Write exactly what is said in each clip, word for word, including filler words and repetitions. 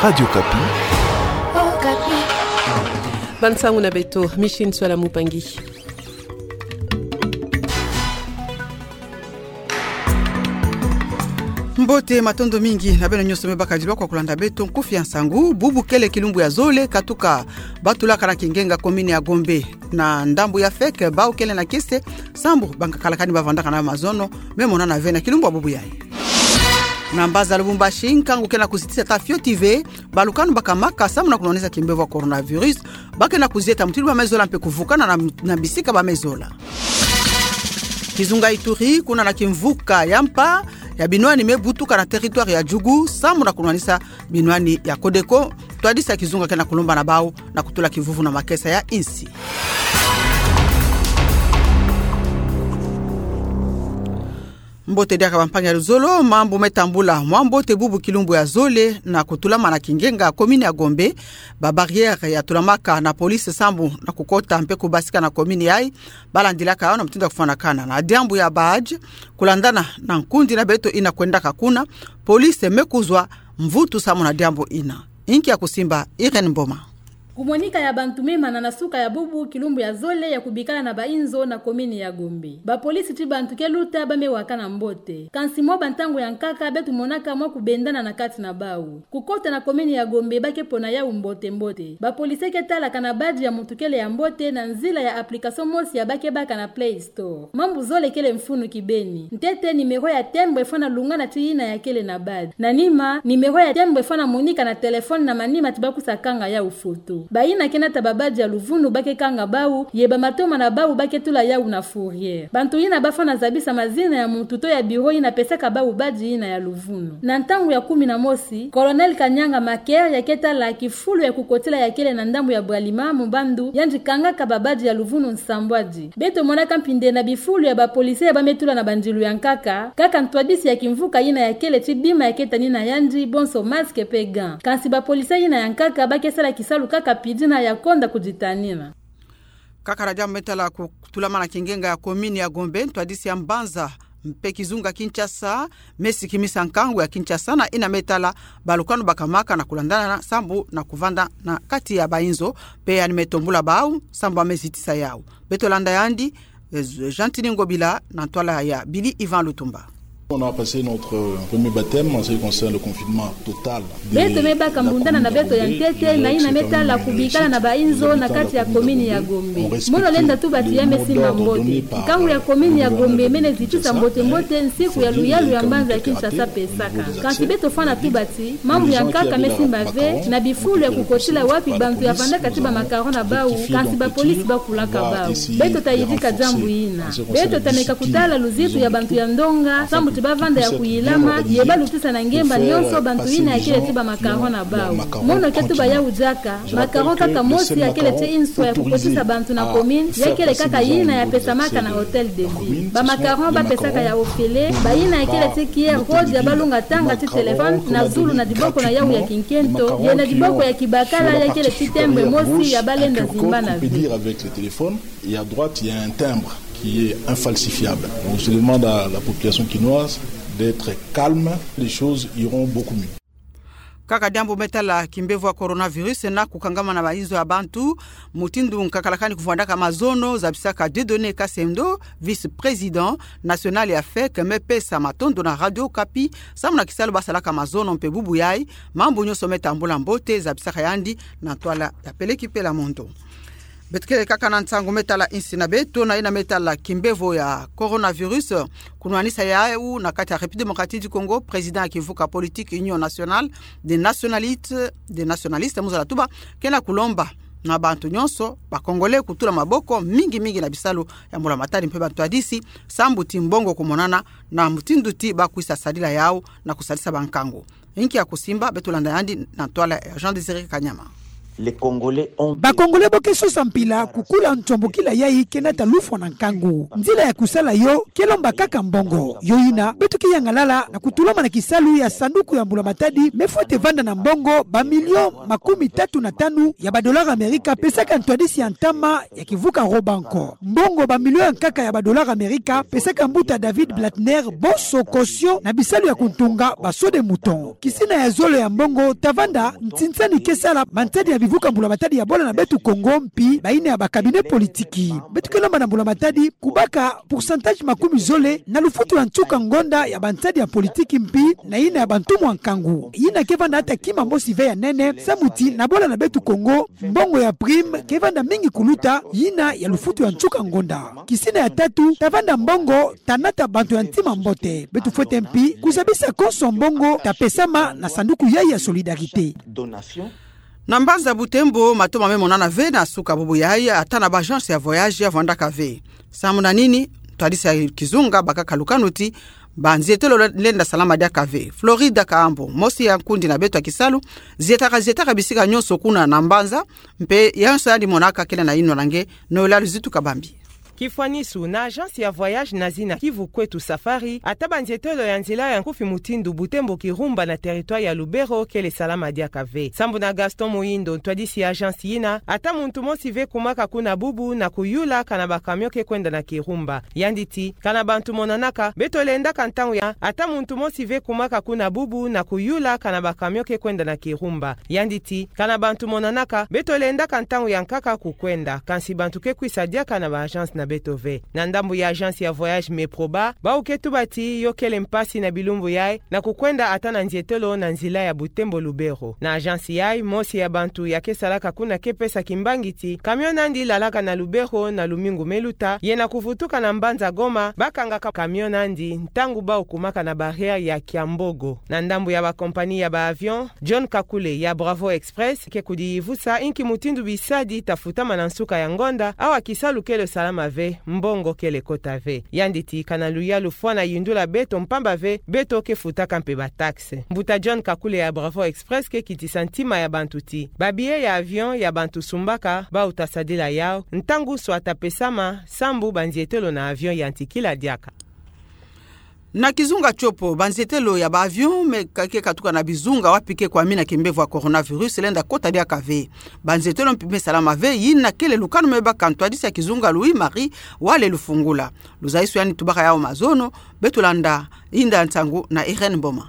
Radio Okapi. Bande nsangu na beto, Micheline Nswala Mupangi. Mbote, matondo mingi na beno nyonso me bakadilwa kwa kulanda beto nkufi ya nsangu. Bubu kele kilumbu ya zole katuka batulaka na kingenga commune ya Gombe na ndambu ya feke, bawu kele na kiese sambu bankakalakani bavandaka na mazono me monana ve na kilumbu ya bubu yayi. Na mbanza Lubumbashi, nkangu ke na kuzitisa ata fioti ve balukanu bakamaka sambu na kunwanisa kimbevo ya coronavirus, ba ke na kuzieta mutindu ba me zola mpe kuvukana na, na bisika ba me zola. Kizunga Ituri, kuna na kimvuka ya mpa ya binwani me butuka na territoire ya Djugu, sambu na kunwanisa binwani ya Codeco, ntwadisi ya kizunga ke na kulomba na bawu na kutula kivuvu na makesa ya insi. Mbote diaka bampangi ya luzolo, mambu me tambula mwa mbote bubu kilumbu ya zole na kutulama na kingenga commune ya Gombe. Ba barrière ya tulamaka na police sambu na kukota mpe kubasika na commune yayi, balandilaka yawu na mutindu ya kufwanakana na diambu ya badge, kulandana na nkundi na beto ina kwendaka kuna, police me kuzwa mvutu sambu na diambu ina. Inki ya kusimba, Irène Mboma. Kumonika ya bantu me mana na suka ya bubu kilumbu ya zole ya kubikala na bainzo na commune ya Gombe. Bapolisi ti bantu ke luta ba me wakana mbote. Kansi mwa bantangu ya nkaka beto monaka mwa kubendana na kati na bawu. Kukota na commune ya Gombe ba ke pona yawu mbote mbote. Bapolisi ke talaka na badge ya muntu kele ya mbote na nzila ya application mosi ya ba ke baka na Play Store. Mambu zole kele mfunu kibeni. Ntete, numéro ya timbre fwana lungana ti ina ya kele na badge. Na nima, numéro ya timbre fwana monika na téléphone na manima ti ba kusa kanga yawu foto. Bayina ke nata ba badge ya luvunu ba ke kanga bawu, ye bamatoma na bawu ba ke tula yawu na fourrière. Bantu yina ba fwana zabisa mazina ya muntu to ya bureau yina pesaka bawu badge yina ya luvunu. Na ntangu ya kumi na mosi, Colonel Kanyanga Maker ya ke tala kifulu ya kukotila ya kele na ndambu ya Bwalima, Mubandu, yandi kangaka ba badge ya luvunu nsambwadi. Beto monaka mpinde na bifulu ya bapolisi ya ba me tula na bandilu ya nkaka, kaka ntwadisi ya kimvuka yina ya kele ti bima ya ke tanina yandi, bonso masque mpe gants. Kansi bapolisi yina ya nkaka ba ke sala kisalu kaka pidina ya konda kuditanina. Kaka na diambu me tala ku-, kutulamana kingenga ya commune ya Gombe, ntwadisi ya mbanza mpe kizunga Kinshasa me sikimisa nkangu ya Kinshasa na ina me tala balukanu bakamaka na kulandana sambu na kuvanda na kati ya bainzo, mpe yandi me tombula bawu sambu ba me zitisa yawu. Beto landa yandi, eh, Gentiny Ngobila na ntwala ya Billy Ivan Lutumba. On a passé notre premier baptême en ce qui concerne le confinement total. Beto me baka mbundana na beto ya ntete na ina me tala kubikala na bainzo na kati ya commune ya Gombe. Mono lenda tuba ti ya me simba mbote. Nkangu ya commune ya Gombe mene zitisa mbote mbote nsiku ya luyalu ya mbanza ya Kinshasa pesaka. Kansi beto fwana tuba ti mambu ya nkaka me simba ve na bifulu ya kukotila wapi bantu ya vandaka ti bamacaron na bawu, kansi bapolisi ba kulaka bawu. Beto ta yidika diambu yina. Beto ta meka kutala luzitu ya bantu ya ndonga, sambu ti ba vanda ya kuyilama, ye ba lutisa na ngemba nyonso bantu yina ya kele ti bamacaron na bawu. Mono ke tuba yawu diaka, macaron kaka mosi ya kele ti inswa ya kukotisa bantu na commune, ya kele kaka yina ya pesamaka na Hôtel de Ville. Bamacaron ba pesaka ya ofele, bayina ya kele ti cuillère rose ya ba lunga tanga ti téléphone na zulu na diboko na yawu ya kinkento, ye na diboko ya kibakala ya kele ti timbre mosi ya ba lenda zimba na ve. Et à droite, il y a un timbre qui est infalsifiable. Donc, je demande à la population kinoise d'être calme. Les choses iront beaucoup mieux. Kaka diambu me tala kimbevo ya coronavirus na kukangama na bainzo ya bantu, mutindu nkakalakani kuvwandaka mazono, zabisaka Dieudonné Kassendo, vice-président national ya feke, me pesa matondo na Radio Okapi, sambu na kisalu ba salaka mazono mpe bubu yayi, mambu nyonso me tambula mbote, zabisaka yandi na ntwala ya Peleki Pela Mondo. Beto kele kaka na nsangu me tala insi na beto, na ina me tala kimbevo ya coronavirus, kunwanisa yawu na kati ya République démocratique du Congo, président ya kivuka politique Union nationale des nationalistes, des nationalistes, Muzala Tuba, ke na kulomba na bantu nyonso, ba Congolais, kutula maboko mingi mingi na bisalu ya mbula matari mpe bantwadisi, sambu ti mbongo kumonana na mutindu ti ba kwisa sadila yawu na kusadisa bankangu. Inki ya kusimba, beto landa yandi na ntwala ya Jean Désiré Kanyama. Bakongole bo ke sosa mpila kukula nsambukila yayi ke nata lufwa na nkangu. Nzila ya kusala yo ke lomba kaka mbongo. Yo yina, beto ke yangalala na kutulama na kisalu ya sanduku ya mbula matadi me fwete vanda na mbongo bamilio makumi tatu na tanu ya badolara Amerika pesaka ntwadisi ya ntama ya kivuka Robanco. Mbongo bamilio ya nkaka ya badolara Amerika pesaka mbuta David Blattner bonso caution na bisalu ya kuntunga ba saut de mouton. Kisina ya zole ya mbongo ta vanda nsinsani ke sala bansadi ya bivuka mbula matadi ya bola na beto Kongo mpi bayina ya ba cabinet politiki. Beto ke lomba na mbula matadi kubaka pourcentage makumi zole na lufutu ya nsuka ngonda ya bansadi ya politiki mpi na yina ya bantumwa nkangu. Yina ke vanda ata kima mosi ve ya nene, samu ti na bola na beto Kongo, mbongo ya prime ke vanda mingi kuluta yina ya lufutu ya nsuka ngonda. Kisina ya tatu ta vanda mbongo ta nata bantu ya ntima mbote. Beto fwete mpi kuzabisa konso mbongo ta pesama na sanduku yayi ya solidarité. Na mbanza Butembo, matoma me monana ve na suka bubu yayi, ata na ba agence ya voyage ya vwandaka ve. Samu na nini? Ntwadisi ya kizunga bakaka lukanu ti banzietelo lenda salama diaka ve. Florida Kaambo, mosi ya nkundi na beto ya kisalu, zietaka zietaka bisika nyonso kuna na mbanza, mpe yonso yandi monaka kele na yinwa na nge, Noëlla Luzitu Kabambi. Kifwanisu, na agence ya voyage na zina Kivu Kwetu Safari, ata banzietelo ya nzila ya nkufi mutindu Butembo Kirumba na territoire ya Lubero kele salama diaka ve. Sambu na Gaston Muhindo, ntwadisi ya agence yina, ata muntu mosi ve kumaka kuna bubu na kuyula kana ba camion ke kwenda na Kirumba. Yandi ti, kana bantu monanaka, beto lendaka ntangu ya, ata muntu mosi ve kumaka kuna bubu na kuyula kana ba camion ke kwenda na Kirumba. Yandi ti, kana bantu monanaka, beto lendaka ntangu ya nkaka kukwenda, kansi bantu ke kwisa diaka na ba agence na beto ve. Na ndambu ya agence ya voyage Meproba, bawu ke tuba ti yo kele mpasi na bilumbu yayi na kukwenda ata na nzietelo na nzila ya Butembo Lubero. Na agence yayi, mosi ya bantu ya ke salaka kuna ke pesa kimbangi ti camion nandi lalaka na Lubero na lumingu me luta, ye na kuvutuka na mbanza Goma, bakangaka camion nandi ntangu bawu kumaka na barrière ya Kiambogo. Na ndambu ya ba compagnie ya ba avion, John Kakule ya Bravo Express ke kudiyivusa inki mutindu bisadi ta futama na nsuka ya ngonda, awa kisalu kele salama ve, mbongo kele kota ve. Yandi ti kana luyalu fwana yindula beto mpamba ve, beto ke futaka mpe ba taxe. Mbuta John Kakule ya Bravo Express ke kitisa ntima ya bantu ti ba billet ya avion ya bantu sumbaka, bawu ta sadila yawu, ntangu swata pesama, sambu banzietelo na avion yantikila diaka. Na kizunga Tshopo, banzietelo ya ba avion me ka-, ke katuka na bizunga wapi ke kwamina kimbevo ya coronavirus lenda kota diaka ve. Banzietelo mpi me salama ve, yina kele lukanu me baka ntwadisi ya kizunga Louis Marie Wale Lufungula. Luzayisi yandi tubaka yawu mazono, beto landa yinda nsangu na Irène Mboma.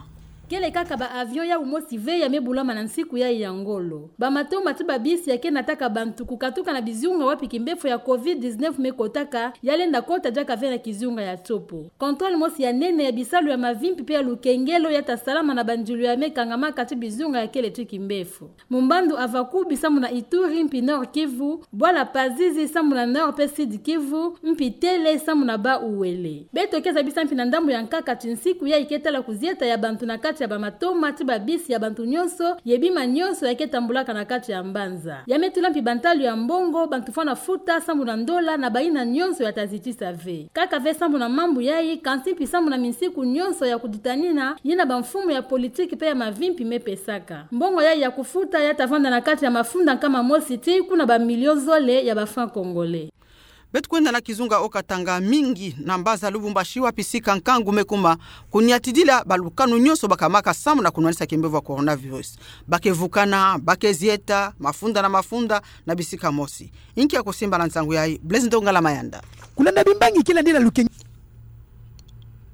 Kele kaka ba avion yawu mosi ve ya me bulama na nsiku yayi ya ngolo. Ba matoma ti ba bisi ya ke nataka bantu kukatuka na bizunga wapi kimbefo ya covid dix-neuf me kotaka, ya lenda kota diaka ve na kizunga ya Tshopo. Contrôle mosi ya nene ya bisalu ya mavimpi mpe ya lukengelo ya ta salama na banzulu ya me kangamaka ti bizunga ya kele ti kimbefo. Mumbandu Avakubi sambu na Ituri mpi Nord-Kivu, Bwala Pazizi sambu na Nord mpe Sud-Kivu, mpi Tele sambu na Bas-Uele. Beto ke zabisa mpi na ndambu ya nkaka ti nsiku yayi ke tala kuzieta ya bantu na kati ya ba matoma ti ba bisi ya bantu nyonso, ye bima nyonso ya ke tambulaka na kati ya mbanza. Ya me tula mpi bantalu ya mbongo, bantu fwana futa sambu na ndola na bayina nyonso ya ta zitisa ve. Kaka ve sambu na mambu yayi, kansi mpi sambu na minsiku nyonso ya kuditanina, yina ba mfumu ya politiki mpe ya mavimpi me pesaka. Mbongo yayi ya kufuta ya ta vanda na kati ya mafunda nkama mosi tii kuna ba million zole ya ba francs congolais. Beto kwenda na kizunga Haut-Katanga, mingi na mbanza Lubumbashi wapi sika nkangu me kuma, kuniatidila ba lukanu nyonso bakamaka sambu na kunwanisa kimbevo ya coronavirus. Ba ke vukana, ba ke zieta, mafunda na mafunda, na bisika mosi. Inki ya kusimba na nsangu yayi, Blaise Ndongala Mayanda. Kulanda bimbangi ke landila lukeng-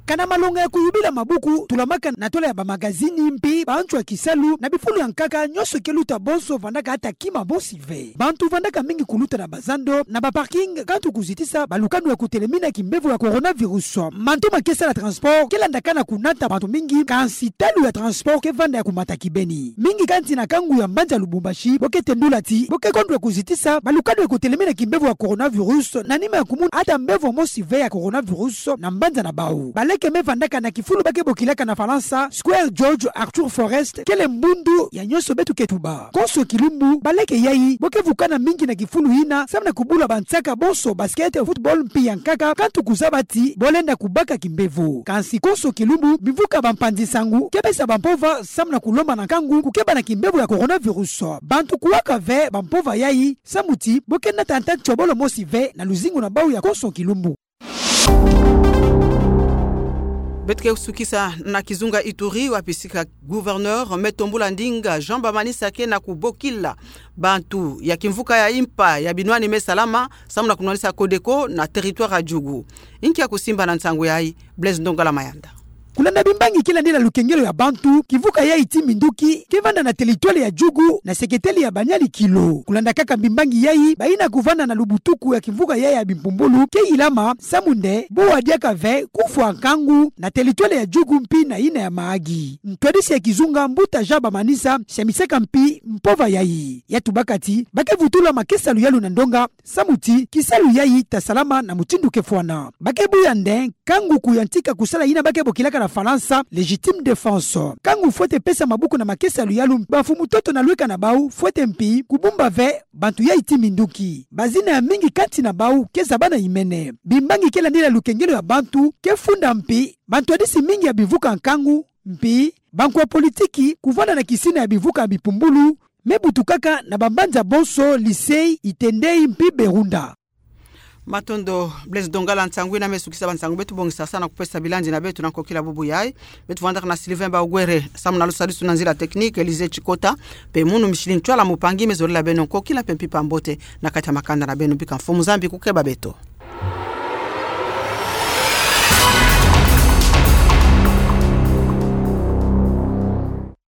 Kana malonga ya kuyubila mabuku tulamaka na tola ya ba magazini mpi ba nswa kisalu na bifulu ya nkaka nyonso ke luta bonso vandaka ata kima mosi ve. Bantu vandaka mingi kuluta na ba zando, na ba parking, kantu kuzitisa ba lukanu ya kutelemina kimbevo ya coronavirus. Mantoma ke sala transport ke landaka na kunata bantu mingi, kansi talu ya transport ke vanda ya kumata kibeni. Mingi kati na kangu ya mbanza Lubumbashi bo ke tendula ti bo ke kondwa kuzitisa ba lukanu ya kutelemina kimbevo ya coronavirus, na nima ya kumuna ata mbevo mosi ve ya coronavirus na mbanza na bawu. Ba leke ke me vandaka na kifulu ba ke bokilaka na Falansa Square George Arthur Forrest, kele mbundu ya nyonso beto ke tuba. Konso kilumbu, baleke yayi bo ke vukana mingi na kifulu ina, samu na kubula bansaka bonso basket, football mpi ya nkaka, kantu kuzaba ti bo lenda kubaka kimbevo. Kansi konso kilumbu, bimvuka bampanzi-nsangu ke pesa bampova samu na kulomba na nkangu kukeba na kimbevo ya coronavirus. Bantu kuwaka ve bampova yayi, samu ti bo ke nata nta ntiobolo mosi ve na luzingu na bau ya konso kilumbu. Beto ke sukisa na kizunga Ituri, wapi sika gouverneur me tombula ndinga Jean Bamanisa ke na kubokila bantu ya kimvuka ya mpa ya binwani me salama, samu na kunwanisa Codeco na territoire ya Djugu. Inki ya kusimba na nsangu yayi? Blaise Ndongala Mayanda. Kulanda bimbangi ke landila lukengelo ya bantu, kimvuka yayi ti minduki ke vanda na territoire ya Djugu na seketeli ya Banyali Kilo. Kulanda kaka bimbangi yayi, bayina kuvanda na lubutuku ya kimvuka yayi ya bimpumbulu ke yilama, samu nde bo wadiaka ve kufwa nkangu na territoire ya Djugu mpi na yina ya Mahagi. Ntwadisi ya kizunga, mbuta Jean Bamanisa, samisaka mpi mpova yayi. Ya tubaka ti ba ke vutula makesa luyalu na ndonga, samu ti kisalu yayi ta salama na mutindu ke fwana. Ba ke buya nde nkangu kuyantika kusala yina ba ke bokilaka na Falansa légitime défense. Nkangu fwete pesa maboko na makesa luyalu, bamfumu ntoto na lweka na bau fwete mpi kubumba ve bantu yayi ti minduki. Bazina ya mingi kati na bau ke zaba na imene. Bimbangi ke landila lukengelo ya bantu ke funda mpi bantwadisi mingi ya bimvuka nkangu, mpi bankwa politiki kuvanda na kisina ya bimvuka ya bimpumbulu me butukaka na bambanza bonso Lisei, Itendei mpi Berunda. Matondo Blaise Ndongala. Nsangu ina me sukisa bansangu beto bongisa sa na kupesa bilandi na beto na nkokila bubu yayi. Beto vandaka na Sylvain Baugwere samu na lusadisu na nzila technique, Elise Chikota mpe munu Micheline Ntwala Mupangi me zolila beno nkokila mpe mpimpa mbote na kati ya makanda na beno. Bika mfumu Nzambi kukeba beto.